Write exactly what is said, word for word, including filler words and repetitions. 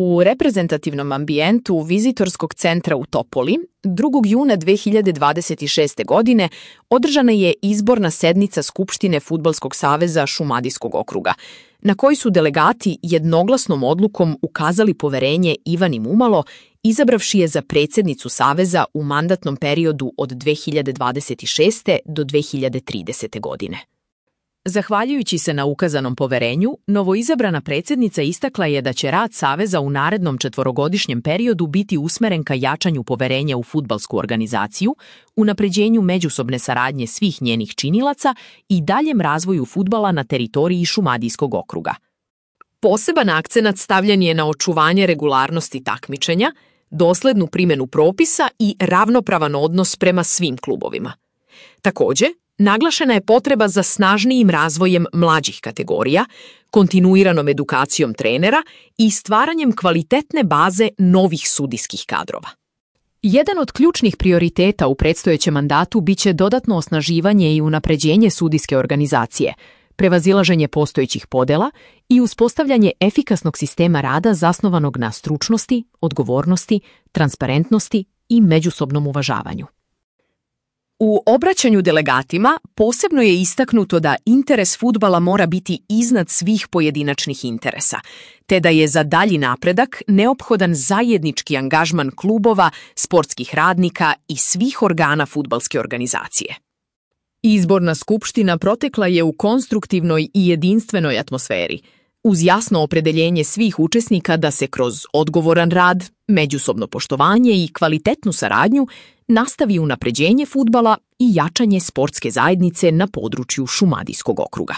U reprezentativnom ambijentu Vizitorskog centra u Topoli drugog juna dve hiljade dvadeset šeste. godine održana je izborna sednica Skupštine Fudbalskog saveza Šumadijskog okruga, na kojoj su delegati jednoglasnom odlukom ukazali poverenje Ivani Mumalo, izabravši je za predsjednicu Saveza u mandatnom periodu od dve hiljade dvadeset šeste. do dve hiljade tridesete. godine. Zahvaljujući se na ukazanom poverenju, novoizabrana predsjednica istakla je da će rad Saveza u narednom četvorogodišnjem periodu biti usmeren ka jačanju poverenja u fudbalsku organizaciju, unapređenju međusobne saradnje svih njenih činilaca i daljem razvoju fudbala na teritoriji Šumadijskog okruga. Poseban akcenat stavljen je na očuvanje regularnosti takmičenja, doslednu primjenu propisa i ravnopravan odnos prema svim klubovima. Također, naglašena je potreba za snažnijim razvojem mlađih kategorija, kontinuiranom edukacijom trenera i stvaranjem kvalitetne baze novih sudijskih kadrova. Jedan od ključnih prioriteta u predstojećem mandatu biće dodatno osnaživanje i unapređenje sudijske organizacije, prevazilaženje postojećih podela i uspostavljanje efikasnog sistema rada zasnovanog na stručnosti, odgovornosti, transparentnosti i međusobnom uvažavanju. U obraćanju delegatima posebno je istaknuto da interes fudbala mora biti iznad svih pojedinačnih interesa, te da je za dalji napredak neophodan zajednički angažman klubova, sportskih radnika i svih organa fudbalske organizacije. Izborna skupština protekla je u konstruktivnoj i jedinstvenoj atmosferi, uz jasno opredeljenje svih učesnika da se kroz odgovoran rad, međusobno poštovanje i kvalitetnu saradnju nastavi unapređenje fudbala i jačanje sportske zajednice na području Šumadijskog okruga.